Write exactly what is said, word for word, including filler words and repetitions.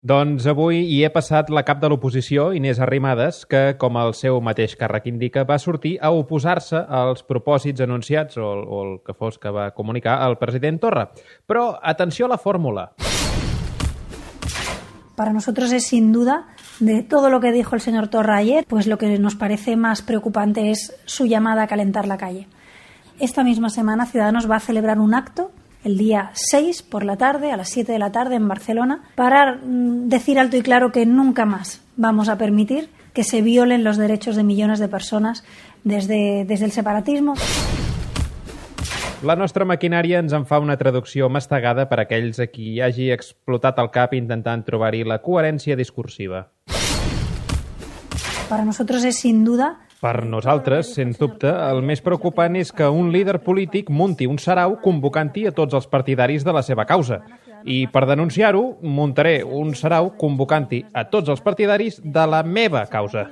Doncs avui hi he passat la cap de l'oposició, Inés Arrimadas, que, com el seu mateix càrrec indica, va sortir a oposar-se als propòsits anunciats, o, o el que fos que va comunicar el president Torra. Però atenció a la fórmula. Para nosotros es sin duda, de todo lo que dijo el señor Torra ayer, pues lo que nos parece más preocupante es su llamada a calentar la calle. Esta misma semana Ciudadanos va a celebrar un acto el día seis por la tarde, a las siete de la tarde en Barcelona, para decir alto y claro que nunca más vamos a permitir que se violen los derechos de millones de personas desde, desde el separatismo. La nostra maquinària ens en fa una traducció mastegada per a aquells a qui hagi explotat el cap intentant trobar-hi la coherència discursiva. Para nosotros es sin duda... Per nosaltres, sens dubte, el més preocupant és que un líder polític munti un sarau convocant-hi a tots els partidaris de la seva causa. I per denunciar-ho, muntaré un sarau convocant-hi a tots els partidaris de la meva causa.